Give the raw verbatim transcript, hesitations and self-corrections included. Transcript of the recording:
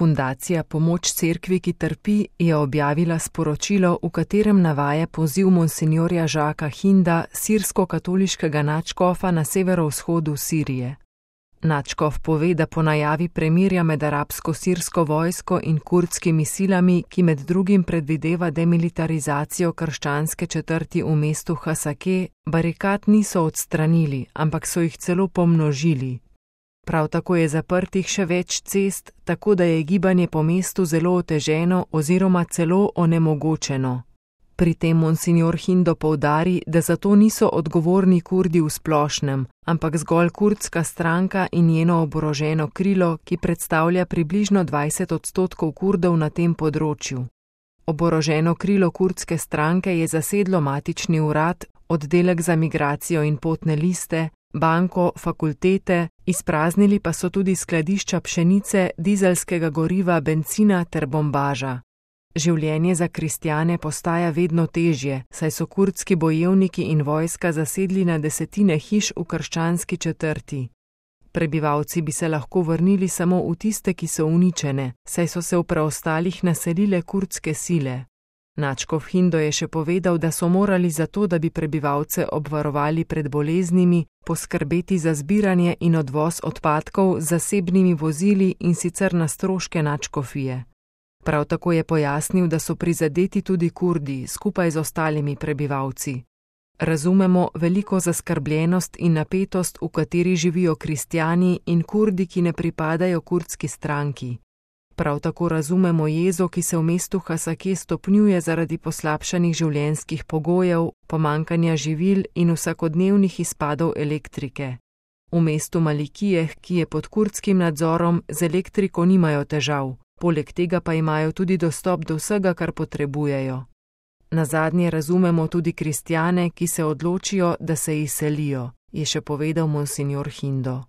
Fundacija Pomoč cerkvi, ki trpi, je objavila sporočilo, v katerem navaja poziv monsinjorja Žaka Hinda, sirsko-katoliškega nadškofa na severovzhodu Sirije. Nadškof pove, da po najavi premirja med arabsko-sirsko vojsko in kurdskimi silami, ki med drugim predvideva demilitarizacijo krščanske četrti v mestu Hasake, barikad niso odstranili, ampak so jih celo pomnožili. Prav tako je zaprtih še več cest, tako da je gibanje po mestu zelo oteženo oziroma celo onemogočeno. Pri tem monsinjor Hindo poudari, da za to niso odgovorni Kurdi v splošnem, ampak zgolj kurdska stranka in njeno oboroženo krilo, ki predstavlja približno dvajset odstotkov Kurdov na tem področju. Oboroženo krilo kurdske stranke je zasedlo matični urad, oddelek za migracijo in potne liste, banko, fakultete, izpraznili pa so tudi skladišča pšenice, dizelskega goriva, bencina ter bombaža. Življenje za kristjane postaja vedno težje, saj so kurdski bojevniki in vojska zasedli na desetine hiš v krščanski četrti. Prebivalci bi se lahko vrnili samo v tiste, ki so uničene, saj so se v preostalih naselile kurdske sile. Nadškof Hindo je še povedal, da so morali zato, da bi prebivalce obvarovali pred boleznimi, poskrbeti za zbiranje in odvoz odpadkov z zasebnimi vozili in sicer na stroške nadškofije. Prav tako je pojasnil, da so prizadeti tudi Kurdi, skupaj z ostalimi prebivalci. Razumemo veliko zaskrbljenost in napetost, v kateri živijo kristjani in Kurdi, ki ne pripadajo kurdski stranki. Prav tako razumemo jezo, ki se v mestu Hasake stopnjuje zaradi poslabšanih življenjskih pogojev, pomanjkanja živil in vsakodnevnih izpadov elektrike. V mestu Malikijeh, ki je pod kurdskim nadzorom, z elektriko nimajo težav. Poleg tega pa imajo tudi dostop do vsega, kar potrebujejo. Nazadnje razumemo tudi kristjane, ki se odločijo, da se izselijo, je še povedal monsinjor Hindo.